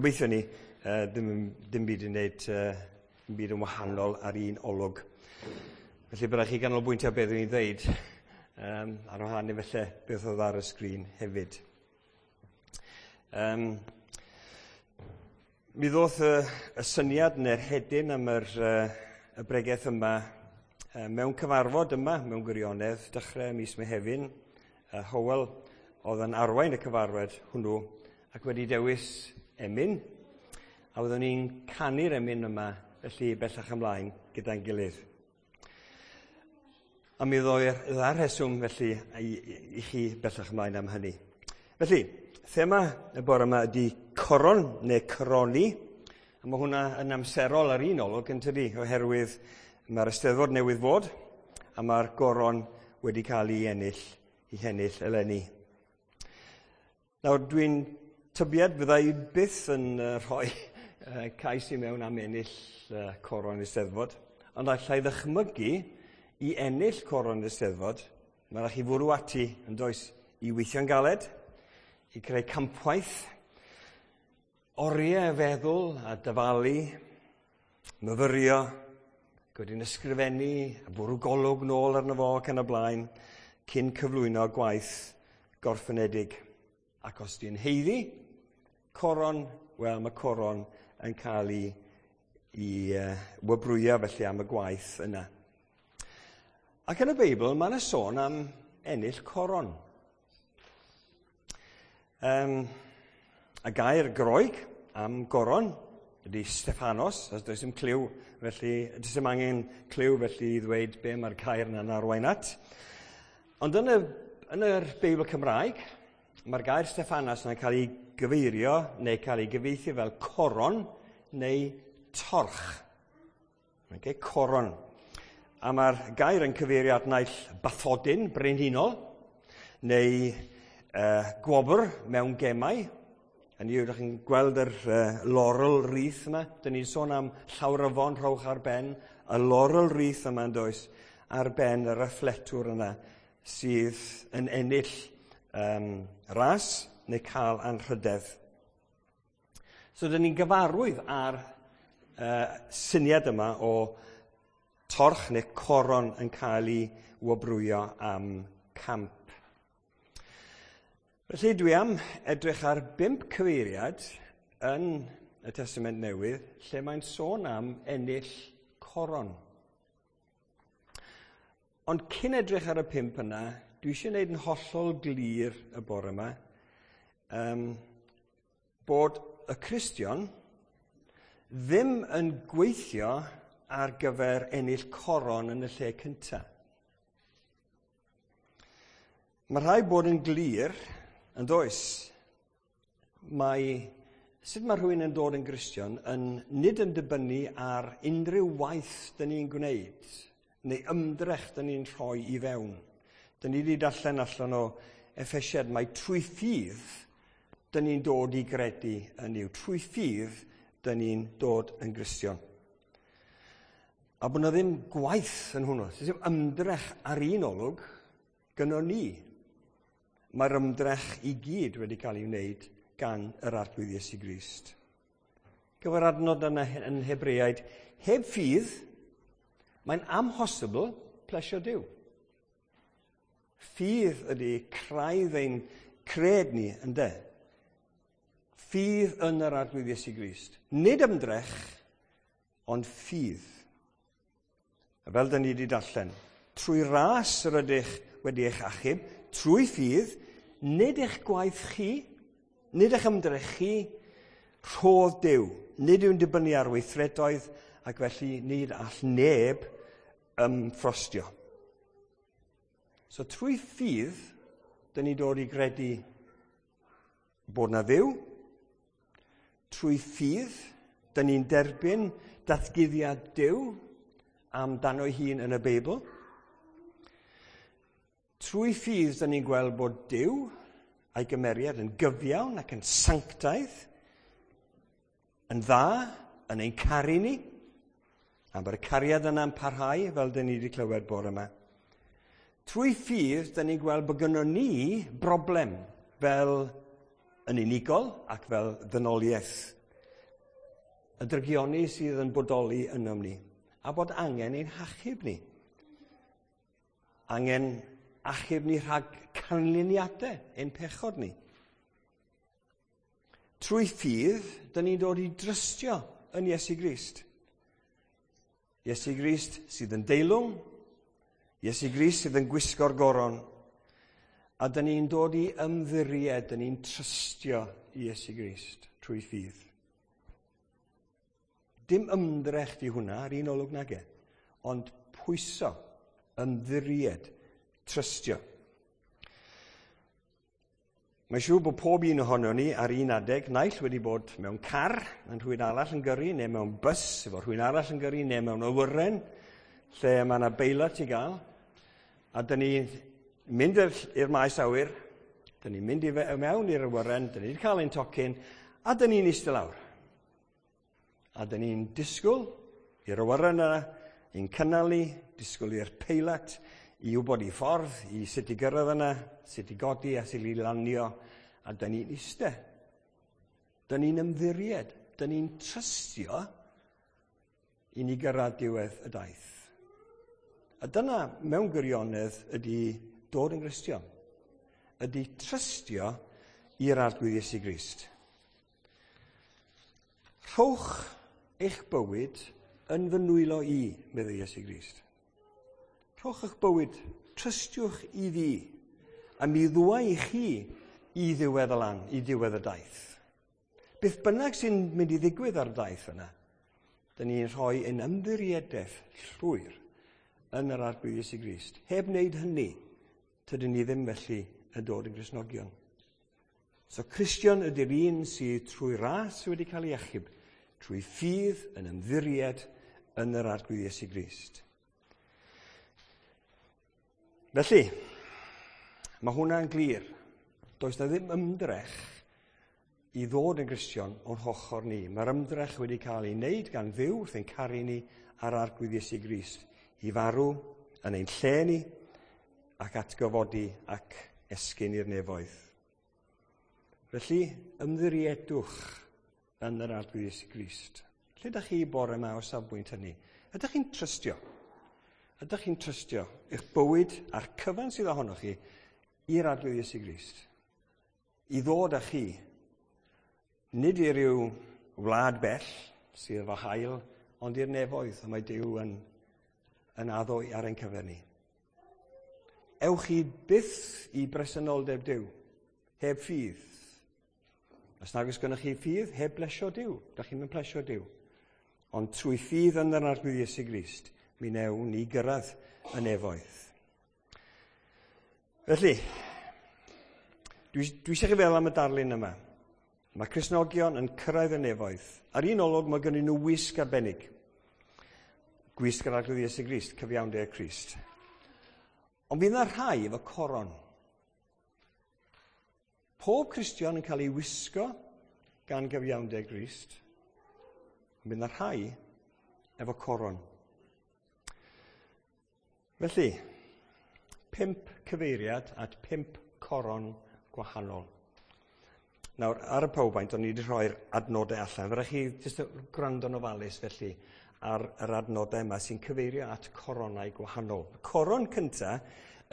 Gobeithio ni, ddim byd yn wneud dim byd yn wahanol ar un olwg. Felly byddai chi ganolbwyntio beth dwi'n ddeud, ar wahân i felly beth oedd ar y sgrin hefyd. Mi ddoth y syniad neu'r hedyn am y bregeth yma mewn cyfarfod yma mewn gwirionedd dechrau mis Mehefin. Hywel oedd yn arwain y cyfarfod hwnnw ac wedi dewis emyn, a fyddwn ni'n canu'r emyn yma felly bellach ymlaen gyda'n gilydd. A mi ddoi'r dda rheswm felly i chi bellach ymlaen am hynny. Felly, thema y bore yma ydy coron neu coroni, a mae hwnna yn amserol ar un olwg yn tydi, oherwydd mae'r Eisteddfod newydd fod, a mae'r goron wedi cael ei ennill eleni. Nawr, dwi'n tybied fydda i byth yn rhoi cais i mewn am ennill coron Eisteddfod, ond allai ddychmygu i ennill coron Eisteddfod, mae rhaid chi fwrw ati yn does i weithio'n galed, i creu campwaith, oriau feddwl a dyfalu, myfyrio, wedyn ysgrifennu a bwrw golwg nôl arno fo ac yn y blaen, cyn cyflwyno gwaith gorffenedig. Ac os di'n haeddu coron, wel, mae coron yn cael ei wobrwyo felly am y gwaith yna. Ac yn y Beibl, mae yna sôn am ennill coron. Y gair Groeg am goron ydy Stephanos, os does dim cliw, felly, does dim angen cliw felly i ddweud be mae'r gair yna'n arwain at. Ond yn yr Beibl Cymraeg, mae'r gair Stephanos yna'n cael ei gyfeirio neu cael ei gyfieithu fel coron neu torch. Okay, coron. A mae'r gair yn cyfeirio at naill bathodyn brenhinol neu gwobr mewn gemau. Hynny yw, ydych chi'n gweld yr laurel wreath yma. Dyn ni'n sôn am llawryfon rhowch ar ben. Y laurel wreath yma yn does ar ben yr athletwr yna sydd yn ennill ras neu cael anrhydedd. So, dyn ni'n gyfarwydd ar syniad yma o torch neu coron yn cael ei wobrwyo am camp. Felly dwi am edrych ar 5 cyfeiriad yn y Testament Newydd lle mae'n sôn am ennill coron. Ond cyn edrych ar y 5 yna, dwi eisiau gwneud yn hollol glir y bore yma bod y Cristion ddim yn gweithio ar gyfer ennill coron yn y lle cyntaf. Mae rhaid bod yn glir, yn does, mae sut mae rhywun yn dod yn Gristion yn nid yn dibynnu ar unrhyw waith dyn ni'n gwneud, neu ymdrech dyn ni'n rhoi i fewn. Dyn ni wedi darllen allan o Effesiad, mae trwy ffydd dyn ni'n dod i gredu yn Nuw. Trwy ffydd dyn ni'n dod yn Gristion. A bod yna ddim gwaith yn hwnnw, ddim ymdrech ar un olwg gynnon ni. Mae'r ymdrech i gyd wedi cael ei wneud gan yr Arglwydd Iesu Grist. Gyfer adnod yna yn Hebreaid, heb ffydd, mae'n amhosibl plesio Duw. Ffydd ydy craidd ein cred ni, ynde? Ffydd yn yr Arglwydd Iesu Grist. Nid ymdrech, ond ffydd. A fel dyn ni wedi darllen, trwy ras yr ydych wedi eich achub, trwy ffydd, nid eich gwaith chi, nid eich ymdrech chi, rhodd Duw. Nid yw'n dibynnu ar weithredoedd, ac felly nid all neb ymffrostio. So trwy ffydd, dyn ni dod i gredu bod na Dduw. Trwy ffydd, dyn ni'n derbyn datguddiad Duw amdano ei hun yn y Beibl. Trwy ffydd, dyn ni'n gweld bod Duw a'i gymeriad yn gyfiawn ac yn sanctaidd, yn dda, yn ein caru ni, a bod y cariad yna'n parhau, fel dyn ni wedi clywed bore yma. Trwy ffydd, dyn ni'n gweld bod gynnon ni broblem fel yn unigol ac fel ddynoliaeth. Y drygioni sydd yn bodoli ynom ni, a bod angen ein hachub ni. Angen achub ni rhag canlyniadau ein pechod ni. Trwy ffydd, dyn ni'n dod i drystio yn Iesu Grist. Iesu Grist sydd yn deilwng, Iesu Grist sydd yn gwisgo'r goron, a dyn ni'n dod i ymddiried, dyn ni'n trystio Iesu Grist trwy ffydd. Dim ymdrech di hwnna ar un olwg nage, ond pwyso, ymddiried, trystio. Mae'n siŵr bod pob un ohono ni ar un adeg naill wedi bod mewn car yn rhywun arall yn gyrru, neu mewn bus efo rhywun arall yn gyrru, neu mewn awyren lle mae yna beilot i gael. A dyn ni'n mynd i'r maes awyr, dyn ni'n mynd i mewn i'r awyren, dyn ni'n cael ein tocyn, a dyn ni'n eistedd lawr. A dyn ni'n disgwyl i'r awyren yna, i'n cynnal ni, disgwyl i'r peilot, i wybod i ffordd, i sut i gyrraedd yna, sut i godi a sut i lanio, a dyn ni'n eistedd. Dyn ni'n ymddiried, dyn ni'n trystio i ni gyrraedd diwedd y daith. A dyna mewn gwirionedd ydy dod yn Gristion. Ydy trystio i'r Arglwydd Iesu Grist. Rhowch eich bywyd yn fy nwylo i, meddai Iesu Grist. Rhowch eich bywyd, trystiwch i fi, a mi ddwa i chi i ddiwedd y lan, i ddiwedd y daith. Beth bynnag sy'n mynd i ddigwydd ar y daith yna, dyn ni'n rhoi ein ymddiriedaeth llwyr yn yr Arglwydd Iesu Grist. Heb wneud hynny, tydyn ni ddim felly yn dod yn Gristnogion. So Cristion ydy'r un sydd trwy ras wedi cael ei achub, trwy ffydd yn ymddiried yn yr Arglwydd Iesu Grist. Felly, mae hwnna'n glir. Does na ddim ymdrech i ddod yn Gristion o'n hochr ni. Mae'r ymdrech wedi cael ei wneud gan Dduw wrth ein caru ni a'r Arglwydd Iesu Grist i farw yn ein lle ni ac atgyfodi ac esgyn i'r nefoedd. Felly, ymddiriedwch yn yr Arglwydd Iesu Grist. Lle ydych chi bore yma o safbwynt hynny? Ydych chi'n trystio? Ydych chi'n trystio eich bywyd a'r cyfan sydd ohonoch chi i'r Arglwydd Iesu Grist? I ddod â chi, nid i ryw wlad bell sydd efo haul, ond i'r nefoedd, a mae Duw yn addo ar ein cyfer ni. Ewch chi byth i bresenoldeb Duw, heb ffydd. Os nag oes gennych chi ffydd, heb blesio Duw. Dach chi'm yn plesio Duw. Ond trwy ffydd yn yr Arglwydd Iesu Grist, mi wnewn ni gyrraedd y nefoedd. Felly, dwi eisiau chi feddwl am y darlun yma. Mae Cristnogion yn cyrraedd y nefoedd. Ar un olwg mae gennyn nhw wisg arbennig. Gwisg yr Arglwydd Iesu Grist, cyfiawnder Crist. Ond fydd yna rhai efo coron. Pob Cristion yn cael ei wisgo gan gyfiawnder Grist. Ond fydd yna rhai efo coron. Felly, 5 cyfeiriad at 5 coron gwahanol. Nawr, ar y PowerPoint, o'n i wedi rhoi'r adnodau allan. Fe rhaid chi jyst gwrando'n ofalus felly ar yr adnodau yma sy'n cyfeirio at coronau gwahanol. Y coron cynta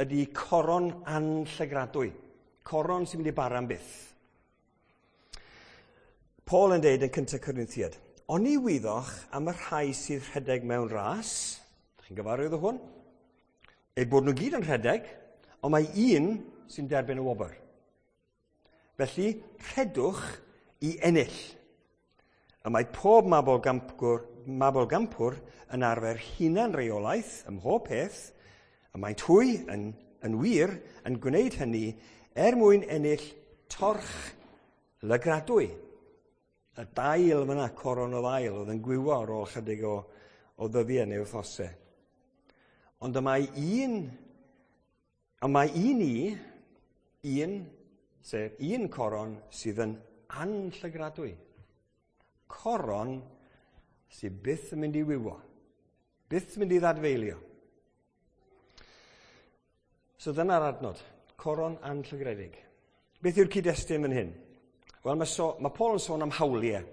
ydy coron anllygradwy. Coron sy'n mynd i bara am byth. Paul yn deud yn 1 Corinthiaid, oni wyddoch am y rhai sydd rhedeg mewn ras, chi'n gyfarwydd o hwn? Eu bod nhw gyd yn rhedeg, ond mae un sy'n derbyn y wobr. Felly, rhedwch i ennill. A mae pob mabolgampwr yn arfer hunan reolaeth ym mhob peth, a maent hwy yn wir yn gwneud hynny er mwyn ennill torch lygradwy. Y dail fyna, coron o ddail, oedd yn gwywo ar ôl chydig o ddyddiau neu wythnosau. Ond y mae un, sef un coron sydd yn anllygradwy. Coron sydd byth yn mynd i wywo, byth yn mynd i ddadfeilio. So dyna'r adnod, coron anllygredig. Beth yw'r cyd-destun fan hyn? Wel, mae Paul yn sôn am hawliau.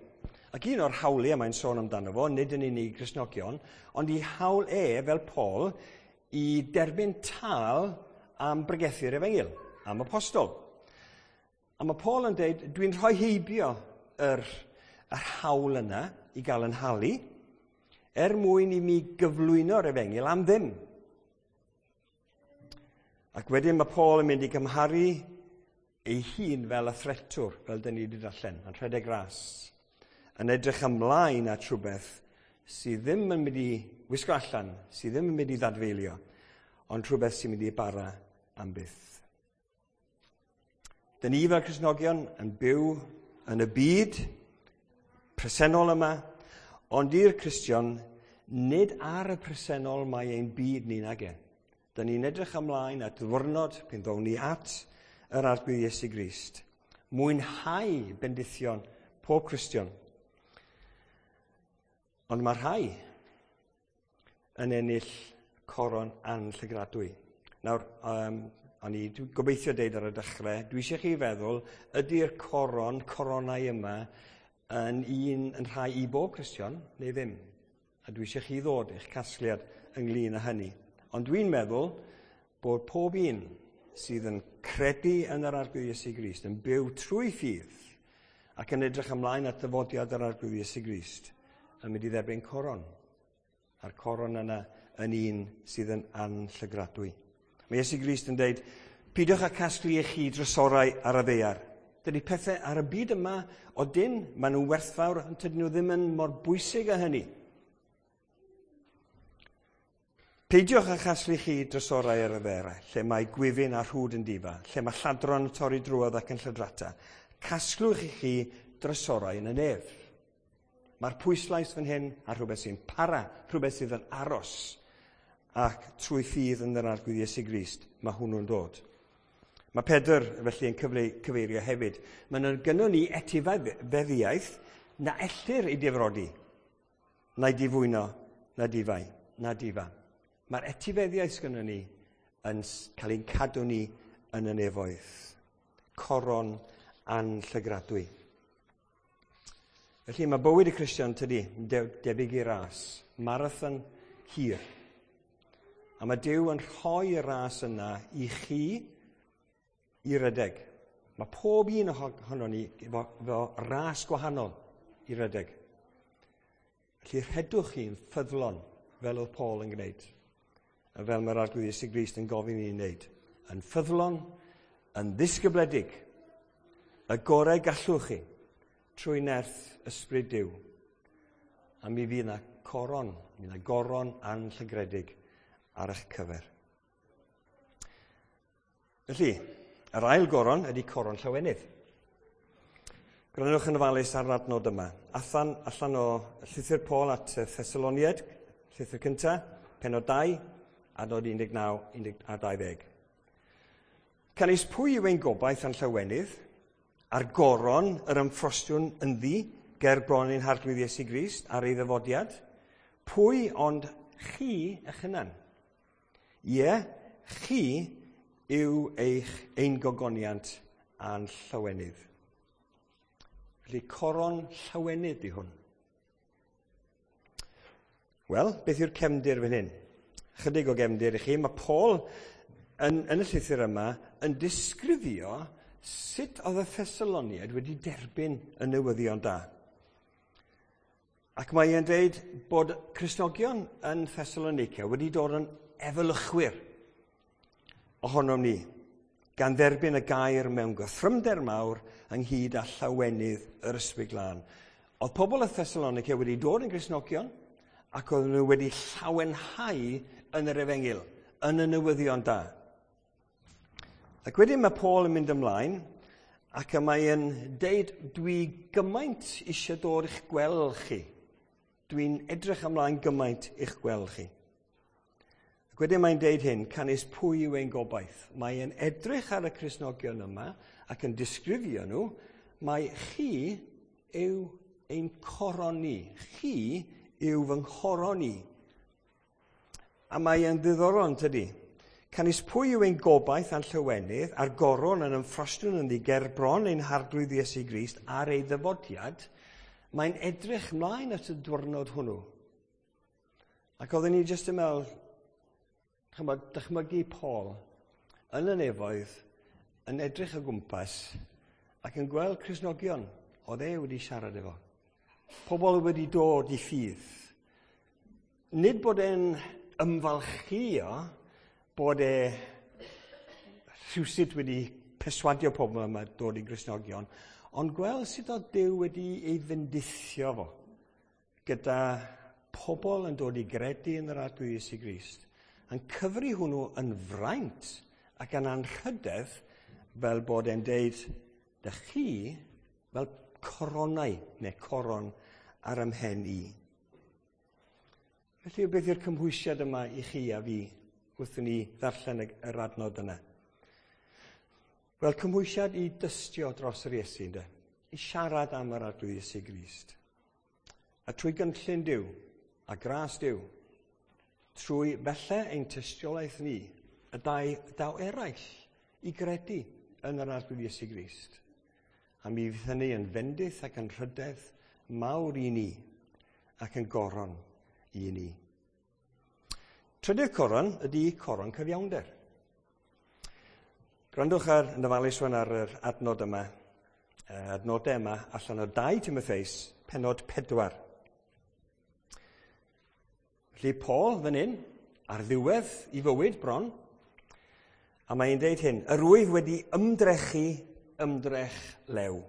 Ac un o'r hawliau mae'n sôn amdano fo, nid yn unig Gristnogion, ond i hawl e, fel Paul, i derbyn tâl am bregethu'r efengyl, am apostol. A mae Paul yn dweud, dwi'n rhoi heibio yr hawl yna i gael yn halu, er mwyn i mi gyflwyno'r efengyl am ddim. Ac wedyn mae Paul yn mynd i gymharu ei hun fel athletwr, fel dyn ni wedi darllen, yn rhedeg ras, yn edrych ymlaen at rhywbeth sydd ddim yn mynd i wisgo allan, sydd ddim yn mynd i ddadfeilio, ond rhywbeth sy'n mynd i bara am byth. Dyn ni fel Cristnogion yn byw yn y byd presennol yma, ond i'r Cristion, nid ar y presennol mae ein byd ni nage. Dyn ni'n edrych ymlaen at ddiwrnod pan ddown ni at yr Arglwydd Iesu Grist. Mwynhau bendithion pob Cristion. Ond mae rhai yn ennill coron anllygradwy. Nawr, o'n i gobeithio deud ar y dechrau, dwi eisiau chi feddwl, ydy'r coronau yma yn rhai i bob Cristion neu ddim? A dwi eisiau chi ddod i'ch casgliad ynglyn â hynny. Ond dwi'n meddwl bod pob un sydd yn credu yn yr Arglwydd Iesu Grist, yn byw trwy ffydd ac yn edrych ymlaen at ddyfodiad yr Arglwydd Iesu Grist, yn mynd i dderbyn coron. A'r coron yna yn un sydd yn anllygradwy. Mae Iesu Grist yn dweud, peidiwch â casglu eich chi drysorau ar y ddaear. Dydy pethau ar y byd yma o dyn, maen nhw'n werthfawr, ond tydyn nhw ddim yn mor bwysig â hynny. Peidiwch â chasglu chi drysorau ar y ddaear, lle mae gwyfyn a rhwd yn difa, lle mae lladron yn torri drwodd ac yn lladrata. Casglwch i chi drysorau yn y nef. Mae'r pwyslais fan hyn ar rhywbeth sy'n para, rhywbeth sydd yn aros, ac trwy ffydd yn yr Arglwydd Iesu Grist, mae hwnnw'n dod. Mae Pedr felly yn cyfeirio hefyd. Mae yna gynnon ni etifeddiaeth na ellir ei difrodi, na'i difwyno, na difai, na difa. Mae'r etifeddiaeth gynnon ni yn cael ein cadw ni yn y nefoedd. Coron anllygradwy. Felly mae bywyd y Cristion, tydi, debyg i ras, marathon hir. A mae Duw yn rhoi y ras yna i chi i redeg. Mae pob un ohonon ni efo ras gwahanol i redeg. Felly rhedwch chi'n ffyddlon, fel oedd Paul yn gwneud, a fel mae'r Arglwydd Iesu Grist yn gofyn i ni wneud. Yn ffyddlon, yn ddisgybledig, y gorau gallwch chi, trwy nerth ysbryd Duw. A mi fydd yna coron, mi fydd yna goron anllygredig ar eich cyfer. Felly, yr ail goron ydy coron llawenydd. Gwrandwch yn ofalus ar yr adnod yma. Allan o llythyr Paul at y Thessaloniaid, llythyr cyntaf, pennod 2, adnod 19 a 20. Canys pwy yw ein gobaith a'n llawenydd, a'r goron yr ymffrostiwn ynddi ger bron ein Harglwydd Iesu Grist ar ei ddyfodiad? Pwy ond chi eich hunan? Ie, chi yw ein gogoniant a'n llawenydd. Felly, coron llawenydd di hwn. Wel, beth yw'r cefndir fan hyn? Chydig o gefndir i chi. Mae Paul yn y llythyr yma yn disgrifio sut oedd y Thessaloniaid wedi derbyn y newyddion da. Ac mae e'n dweud bod Cristnogion yn Thessalonica wedi dod yn efelychwyr ohonom ni, gan dderbyn y gair mewn gythrymder mawr ynghyd â llawenydd yr Ysbryd Glân. Oedd pobl y Thessalonica wedi dod yn Gristnogion ac oedden nhw wedi llawenhau yn yr efengyl, yn y newyddion da. Ac wedyn mae Paul yn mynd ymlaen ac y mae e'n deud, dwi gymaint eisiau dod i'ch gweld chi. Dwi'n edrych ymlaen gymaint i'ch gweld chi. Ac wedyn mae'n deud hyn, canys pwy yw ein gobaith? Mae e'n edrych ar y Cristnogion yma ac yn disgrifio nhw, mae chi yw ein coron ni. Chi yw fy nghoron i. A mae e'n ddiddorol, yn tydi? Canys pwy yw ein gobaith a'n llawenydd, a'r goron yn ymffrostiwn ynddi ger bron ein Harglwydd Iesu Grist ar ei ddyfodiad, Mae'n edrych mlaen at y diwrnod hwnnw. Ac oedden ni jyst yn meddwl, chymod, dychmygu Paul yn y nefoedd, yn edrych o gwmpas ac yn gweld Cristnogion oedd e wedi siarad efo. Pobl wedi dod i ffydd. Nid bod e'n ymfalchio bod e rhywsut wedi perswadio pobl yma dod i Gristnogion, ond gweld sut oedd Duw wedi ei fendithio fo gyda pobl yn dod i gredu yn yr Arglwydd Iesu Grist, yn cyfri hwnnw yn fraint ac yn anrhydedd fel bod e'n deud, dych chi fel coronau neu coron ar ym mhen i. Felly, beth yw'r cymhwysiad yma i chi a fi wrth i ni ddarllen yr adnod yna? Wel, cymhwysiad i dystio dros yr Iesu, ynddo? I siarad am yr Arglwydd Iesu Grist. A trwy gynllun Duw a gras Duw, trwy felly ein tystiolaeth ni, y dau, daw eraill i gredu yn yr Arglwydd Iesu Grist. A mi fydd hynny yn fendith ac yn rhydedd mawr i ni ac yn goron i ni. Trydydd coron ydy coron cyfiawnder. Gwrandwch ar yn ofalus rwan ar yr adnod yma, adnodau yma allan o 2 Timotheus, pennod 4. Felly Paul fan hyn, ar ddiwedd i fywyd bron, a mae'n deud hyn, yr wyf wedi ymdrechu ymdrech lew.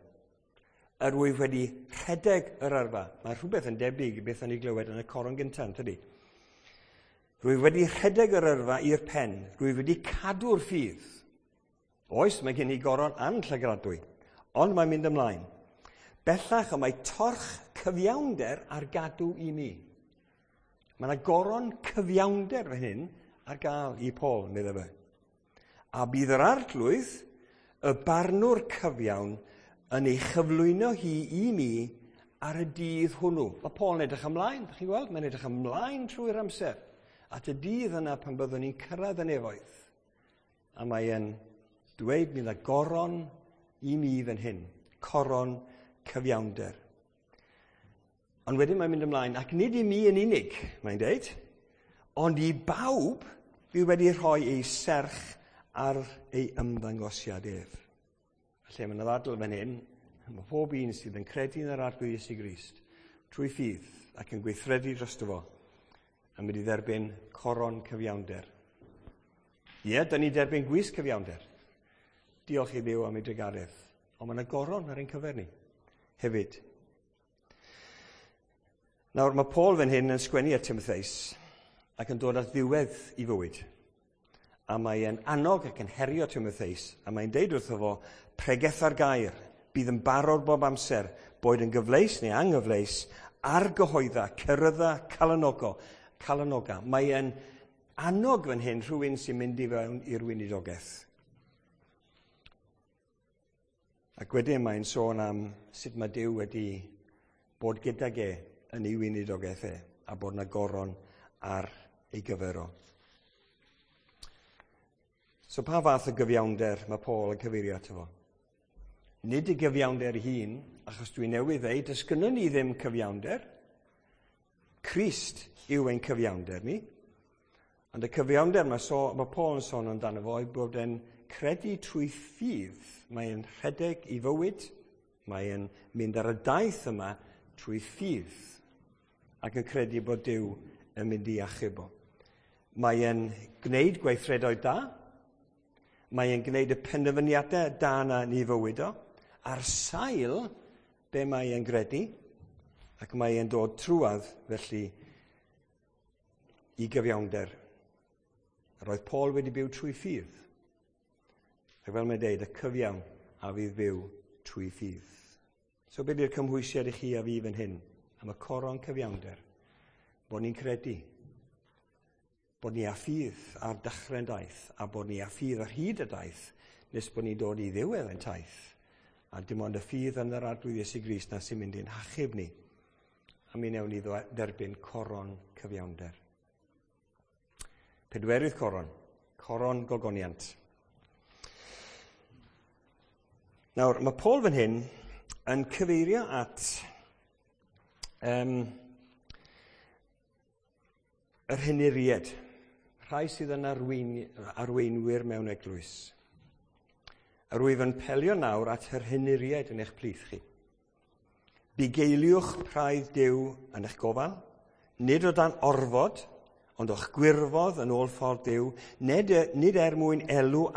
Yr wyf wedi rhedeg yr yrfa. Mae rhywbeth yn debyg i beth o'n i glywed yn y coron gyntaf, tydi? Rwyf wedi rhedeg yr yrfa i'r pen. Rwyf wedi cadw'r ffydd. Oes, mae gen i goron anllygradwy, ond mae'n mynd ymlaen. Bellach y mae torch cyfiawnder ar gadw i mi. Mae yna goron cyfiawnder fan hyn ar gael i Paul, meddai fe. A bydd yr arglwydd, y barnwr cyfiawn, yn ei chyflwyno hi i mi ar y dydd hwnnw. Mae Paul yn edrych ymlaen, chi'n gweld? Mae'n edrych ymlaen trwy'r amser at y dydd yna pan byddwn ni'n cyrraedd y nefoedd. A mae e'n dweud mi yna goron i mi fan hyn, coron cyfiawnder. Ond wedyn mae'n mynd ymlaen, ac nid i mi yn unig, mae'n deud, ond i bawb fydd wedi rhoi ei serch ar ei ymddangosiad ef. Felly mae yna ddadl fan hyn, mae pob un sydd yn credu yn yr Arglwydd Iesu Grist, trwy ffydd ac yn gweithredu drosto fo, yn mynd i dderbyn coron cyfiawnder. Ie, da ni'n derbyn gwisg cyfiawnder. Diolch i Dduw am ei drugaredd. Ond mae yna goron ar ein cyfer ni hefyd. Nawr, mae Paul fan hyn yn sgwennu at Timotheus ac yn dod at ddiwedd i fywyd. A mae e'n annog ac yn herio Timotheus, a mae'n deud wrtho fo, pregetha'r gair, bydd yn barod bob amser, boed yn gyfleus neu anghyfleus, argyhoedda, cerydda, calanogo, calanoga. Mae e'n annog fan hyn rhywun sy'n mynd i fewn i'r weinidogaeth. Ac wedyn mae'n sôn am sut mae Duw wedi bod gydag e yn ei weinidogaeth e, a bod yna goron ar ei gyfer o. So pa fath o gyfiawnder mae Paul yn cyfeirio ato fo? Nid y gyfiawnder ei hun, achos dwi newydd ddeud, does gynnon ni ddim cyfiawnder. Crist yw ein cyfiawnder ni. Ond y cyfiawnder mae, so, mae Paul yn sôn amdano fo, yw bod e'n credu trwy ffydd. Mae'n rhedeg i fywyd, mae'n mynd ar y daith yma trwy ffydd ac yn credu bod Duw yn mynd i achub o. Mae'n gwneud gweithredoedd da, mae'n gwneud y penderfyniadau da yna yn ei fywyd o, ar sail be mae e'n gredu, ac mae e'n dod trwadd felly i gyfiawnder. Yr oedd Paul wedi byw trwy ffydd. Ac fel mae'n deud, y cyfiawn a fydd byw trwy ffydd. So beth yw'r cymhwysiad i chi a fi fan hyn? Am y coron cyfiawnder. Bod ni'n credu. Bod ni â ffydd ar dechrau'n daith, a bod ni â ffydd ar hyd y daith, nes bod ni'n dod i ddiwedd ein taith. A dim ond y ffydd yn yr Arglwydd Iesu Grist na sy'n mynd i'n hachub ni. A mi newn ni dderbyn coron cyfiawnder. Pedwerydd coron, coron gogoniant. Nawr, mae Paul fan hyn yn cyfeirio at Yr henuried, rhai sydd yn arweinwyr mewn eglwys. Yr wyf yn pelio nawr at yr henuried yn eich plith chi. Bugeiliwch praidd Duw yn eich gofal, nid o dan orfod, ond o'ch gwirfodd yn ôl ffordd Duw, nid er mwyn elw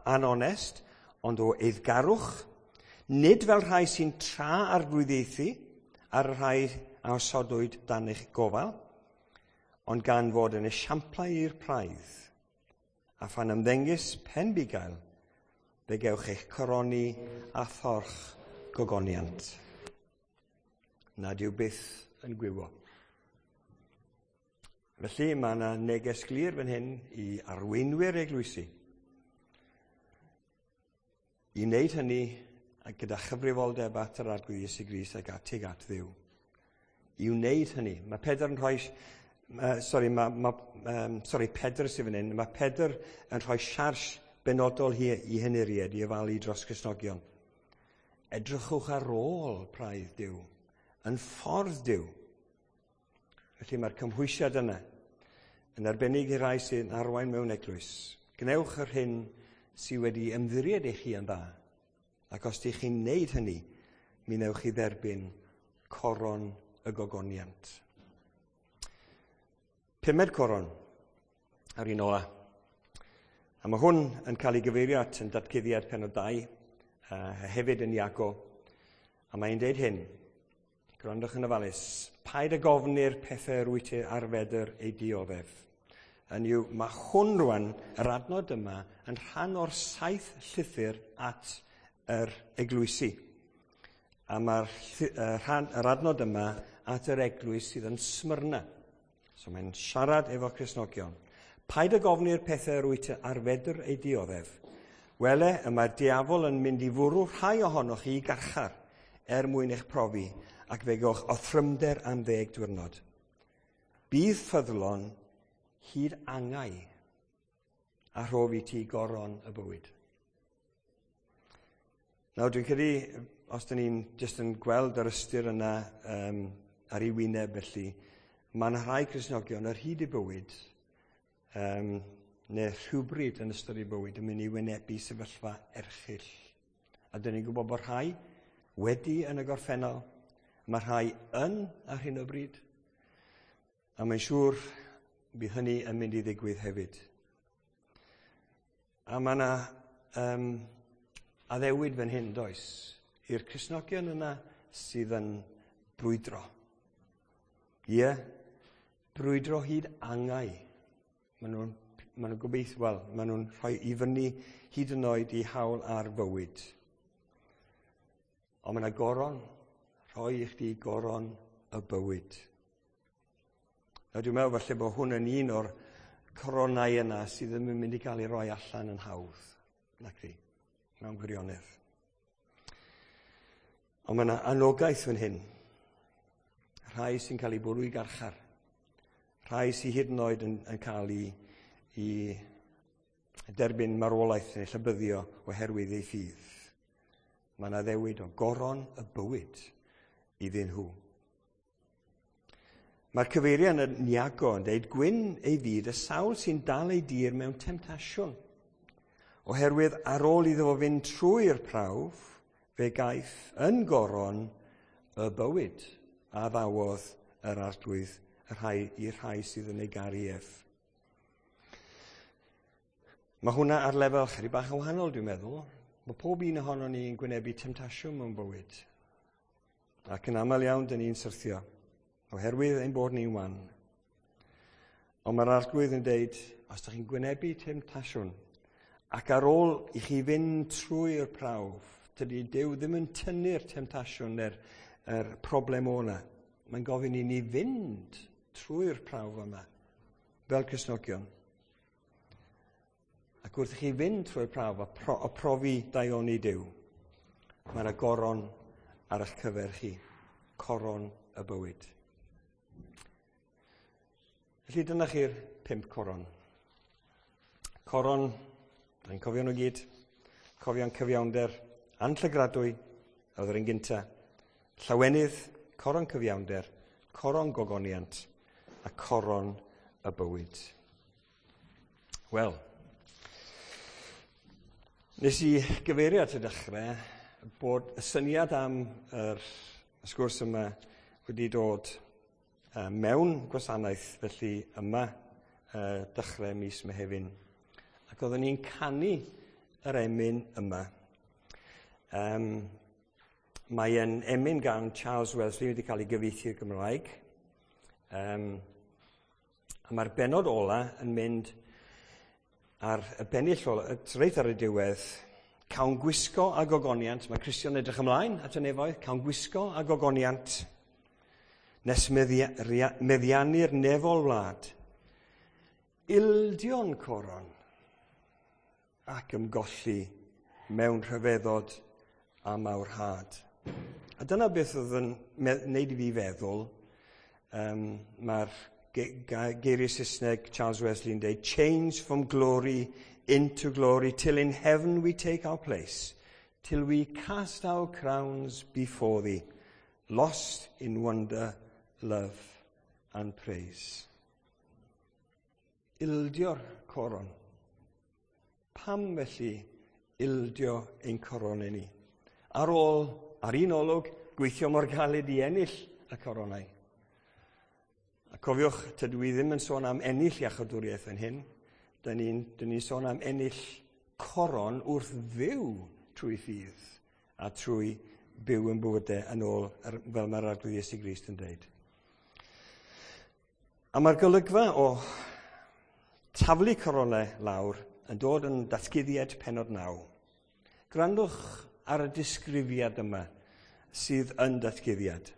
anonest, ond o eiddgarwch, nid fel rhai sy'n tra-arglwyddiaethu ar y rhai a osodwyd dan eich gofal, ond gan fod yn esiamplau i'r praidd, a phan ymddengys pen bugail, fe gewch eich coroni a thorch gogoniant, nad yw byth yn gwywo. Felly mae yna neges glir fan hyn i arweinwyr eglwysi. I wneud hynny gyda chyfrifoldeb at yr Arglwydd Iesu Grist ac tuag at Dduw. I wneud hynny. Mae Pedr yn rhoi... Pedr sydd fan hyn. Mae Pedr yn rhoi siars benodol i henuried i ofalu dros Gristnogion. Edrychwch ar ôl praidd Duw, yn ffordd Duw. Felly mae'r cymhwysiad yna yn arbennig i rai sy'n arwain mewn eglwys. Gwnewch yr hyn sydd wedi ymddiried i chi yn dda. Ac os ydych chi'n wneud hynny, mi wnewch chi dderbyn coron y gogoniant. Pumed coron, ar un ola. A mae hwn yn cael ei gyfeirio at yn datguddiad pennod 2, a hefyd yn Iago. A mae'n deud hyn, gwrandwch yn ofalus, paid ag ofni'r pethau rwyt ti ar fedr ei dioddef. Hynny yw, mae hwn rwan, yr adnod yma, yn rhan o'r 7 llythyr at yr eglwysi. A mae'r yr adnod yma at yr eglwys sydd yn Smyrna. So mae'n siarad efo Cristnogion. Paid ag ofni'r pethau rwyt ti ar fedr ei dioddef. Wele, y mae'r diafol yn mynd i fwrw rhai ohonoch chi i garchar er mwyn eich profi, ac fe gewch othrymder am 10 diwrnod. Bydd ffyddlon hyd angau a rhof i ti goron y bywyd. Nawr, dwi'n credu, os dyn ni'n jyst yn gweld yr ystyr yna ar ei wyneb felly, mae yna rhai Cristnogion ar hyd eu bywyd, neu rhywbryd yn ystod eu bywyd, yn mynd i wynebu sefyllfa erchyll. A dyn ni'n gwybod bod rhai wedi yn y gorffennol, mae rhai yn ar hyn o bryd, a mae'n siŵr bydd hynny yn mynd i ddigwydd hefyd. A mae yna addewid fan hyn, does, i'r Cristnogion yna sydd yn brwydro. Ie, brwydro hyd angau. Maen nhw'n gobeithio, wel, maen nhw'n rhoi i fyny hyd yn oed i hawl ar fywyd. Ond mae yna goron, rhoi i chdi goron y bywyd. A dwi'n meddwl falle bod hwn yn un o'r coronau yna sydd ddim yn mynd i gael ei roi allan yn hawdd, nac di, mewn gwirionedd. Ond mae yna anogaeth fan hyn. Rhai sy'n cael ei bwrw i garchar. Rhai sy'n hyd yn oed yn cael ei derbyn marwolaeth neu llybyddio oherwydd ei ffydd. Mae yna ddewid o goron y bywyd iddyn nhw. Mae'r cyfeiriad yn Iago yn dweud gwyn ei fyd y sawl sy'n dal ei dir mewn temtasiwn. Oherwydd ar ôl iddo fo fynd trwy'r prawf, fe gaiff yn goron y bywyd a ddawodd yr Arglwydd y rhai i'r rhai sydd yn ei garu ef. Mae hwnna ar lefel chydig bach yn wahanol, dwi'n meddwl. Mae pob un ohonon ni yn gwynebu temtasiwn mewn bywyd. Ac yn aml iawn, dyn ni'n syrthio, oherwydd ein bod ni'n wan. Ond mae'r Arglwydd yn deud, os ydych chi'n gwynebu temtasiwn, ac ar ôl i chi fynd trwy'r prawf, tydi Duw ddim yn tynnu'r temtasiwn neu'r problem o'na. Mae'n gofyn i ni fynd trwy'r prawf yma, fel Cristnogion. Ac wrth i chi fynd trwy'r prawf a profi daioni Duw, mae yna goron ar eich cyfer chi, coron y bywyd. Felly dyna chi'r 5 coron. Coron, da ni'n cofio nhw gyd, cofio'n cyfiawnder anllygradwy, oedd yr un gynta. Llawenydd, coron cyfiawnder, Coron gogoniant a coron y bywyd. Wel, nes i gyfeirio at y dechrau bod y syniad am yr sgwrs yma wedi dod mewn gwasanaeth felly yma dechrau mis Mehefin. Ac oeddwn ni'n canu yr emyn yma. Mae e'n emyn gan Charles Wesley wedi cael ei gyfieithu i'r Gymraeg. A mae'r bennod ola yn mynd ar y bennill ola, reit ar y diwedd, cawn gwisgo a gogoniant. Mae Cristion edrych ymlaen at y nefoedd, cawn gwisgo a gogoniant nes meddiannu'r nefol wlad. Ildion coron ac ymgolli mewn rhyfeddod a mawrhad. A dyna beth oedd yn wneud i fi feddwl. Mae'r geiriau Saesneg Charles Wesley yn dweud, "Change from glory into glory, till in heaven we take our place, till we cast our crowns before thee, lost in wonder, love and praise." Ildio'r coron. Pam felly ildio ein coronau ni? Ar ôl, ar un olwg, gweithio mor galed i ennill y coronau. A cofiwch, tydw i ddim yn sôn am ennill iachawdwriaeth yn hyn. Dyn ni'n ni sôn am ennill coron wrth fyw trwy ffydd a trwy byw yn bywydau yn ôl fel mae'r Arglwydd Iesu Grist yn dweud. A mae'r golygfa o taflu coronau lawr yn dod yn Datguddiad pennod 9. Gwrandwch ar y disgrifiad yma sydd yn Datguddiad.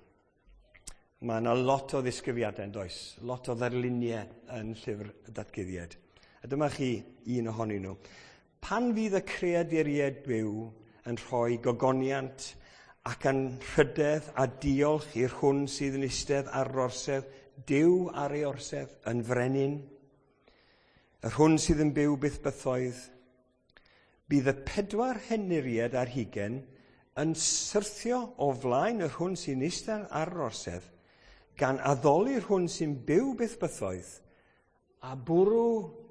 Mae yna lot o ddisgrifiadau yn does, lot o ddarluniau yn llyfr y Datguddiad. A dyma chi un ohonyn nhw. Pan fydd y creaduriaid byw yn rhoi gogoniant ac anrhydedd a diolch i'r hwn sydd yn eistedd ar yr orsedd, Duw ar ei orsedd yn frenin, yr hwn sydd yn byw byth bythoedd, bydd y 24 henuriad yn syrthio o flaen yr hwn sy'n eistedd ar yr orsedd, gan addoli'r hwn sy'n byw byth bythoedd, a bwrw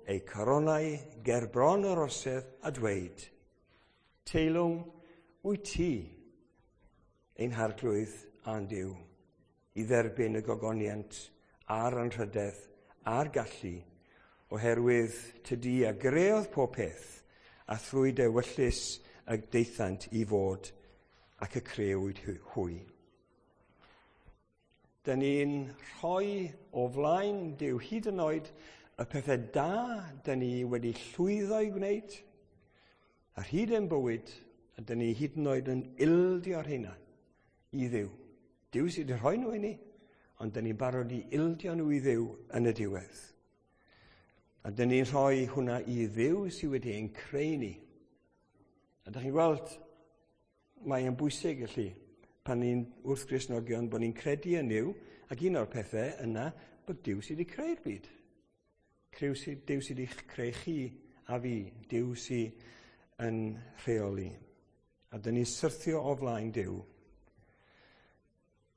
eu coronau ger bron yr orsedd a dweud, "Teilwng wyt ti, ein Harglwydd a'n Duw, i dderbyn y gogoniant a'r anrhydedd a'r gallu, oherwydd tydi a greodd pob peth, a thrwy dy ewyllys y daethant i fod ac y crëwyd hwy." Dyn ni'n rhoi o flaen Duw hyd yn oed y pethau da dyn ni wedi llwyddo i gwneud, ar hyd ein bywyd, a dyn ni hyd yn oed yn ildio'r rheina i Dduw. Duw sydd wedi rhoi nhw i ni, ond dyn ni'n barod i ildio nhw i Dduw yn y diwedd. A dyn ni'n rhoi hwnna i Dduw sydd wedi ein creu ni. A dych chi'n gweld, mae'n bwysig felly, pan ni'n wrth Gristnogion, bod ni'n credu yn Nuw, ac un o'r pethau yna, bod Duw sydd wedi creu'r byd. Duw sydd wedi creu chi a fi, Duw sydd yn rheoli. A dyn ni'n syrthio o flaen Duw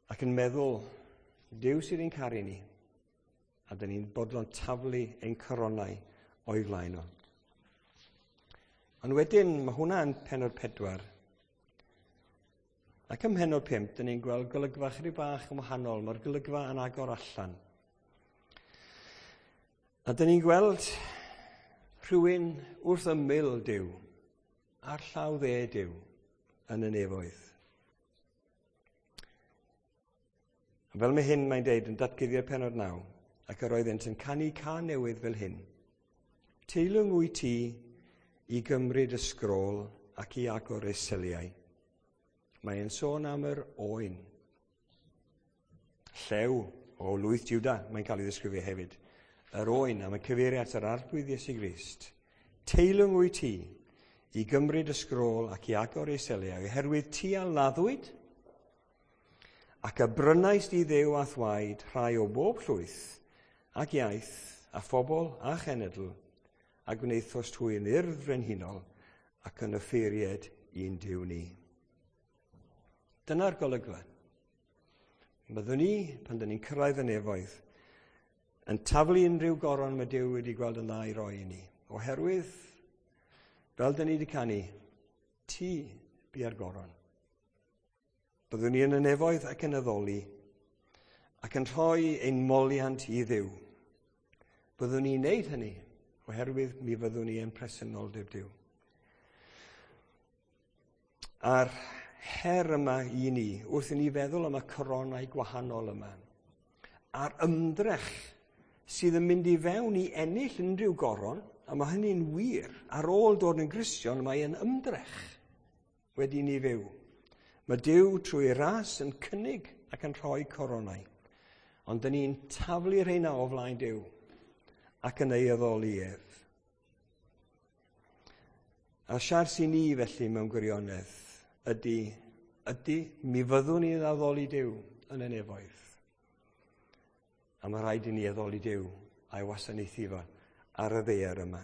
ac yn meddwl, Duw sydd yn caru ni, a dyn ni'n bodlon taflu ein coronau o'i flaen o. Ond wedyn, mae hwnna yn pennod 4. Ac ym mhennod 5, dyn ni'n gweld golygfa chydig bach yn wahanol. Mae'r golygfa yn agor allan. A dyn ni'n gweld rhywun wrth ymyl Duw, ar llaw dde Duw, yn y nefoedd. A fel mae hyn mae'n deud yn Datguddiad pennod 9, ac yr oeddent yn canu cân newydd fel hyn. "Teilwng wyt ti i gymryd y sgrôl ac i agor ei seliau." Mae'n sôn am yr oen. Llew o lwyth Juda, mae'n cael ei ddisgrifio hefyd. Yr oen am y cyfeiriad at yr Arglwydd Iesu Grist. "Teilwng wyt ti i gymryd y sgrôl ac i agor ei seliau, oherwydd ti a laddwyd ac a brynaist i Dduw â'th waed rhai o bob llwyth ac iaith a phobl a chenedl, a gwnaethost hwy yn urdd frenhinol ac yn offeiriad i'n Duw ni." Dyna'r golygfa. Byddwn ni, pan dyn ni'n cyrraedd y nefoedd, yn taflu unrhyw goron mae Duw wedi gweld yn dda i roi i ni. Oherwydd, fel dyn ni wedi canu, ti bia'r goron. Byddwn ni yn y nefoedd ac yn addoli, ac yn rhoi ein moliant i Dduw. Byddwn ni'n neud hynny, oherwydd mi fyddwn ni yn presenoldeb Duw. A'r her yma i ni, wrth i ni feddwl am y coronau gwahanol yma, a'r ymdrech sydd yn mynd i fewn i ennill unrhyw goron, a mae hynny'n wir, ar ôl dod yn Gristion, mae yn ymdrech wedi ni fyw. Mae Duw trwy ras yn cynnig ac yn rhoi coronau. Ond dyn ni'n taflu rheina o flaen Duw ac yn ei addoli ef. A siars i ni felly mewn gwirionedd ydy, mi fyddwn ni'n addoli Duw yn y nefoedd. A mae rhaid i ni addoli Duw a'i wasanaethu fo ar y ddaear yma.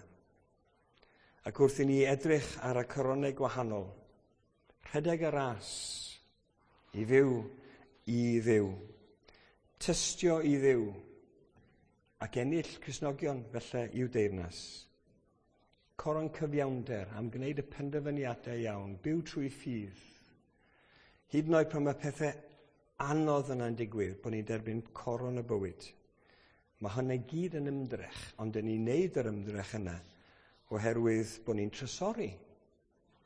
Ac wrth i ni edrych ar y coronau gwahanol, rhedeg y ras i fyw i Dduw, tystio i Dduw, ac ennill Cristnogion felly i'w deyrnas. Coron cyfiawnder am gwneud y penderfyniadau iawn, byw trwy ffydd. Hyd yn oed pan mae pethau anodd yna'n digwydd, bod ni'n derbyn coron y bywyd. Mae hynny gyd yn ymdrech, ond dyn ni'n neud yr ymdrech yna oherwydd bod ni'n trysori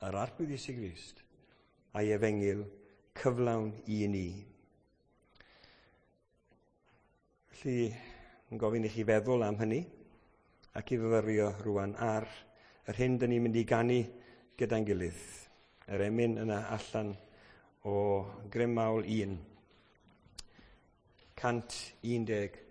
yr Arglwydd Iesu Grist a'i efengyl cyflawn i ni. Felly, yn gofyn i chi feddwl am hynny ac i fyfyrio rwan ar yr hyn dyn ni'n mynd i ganu gyda'n gilydd. Yr emyn yna allan o Grym Mawl 1. 116.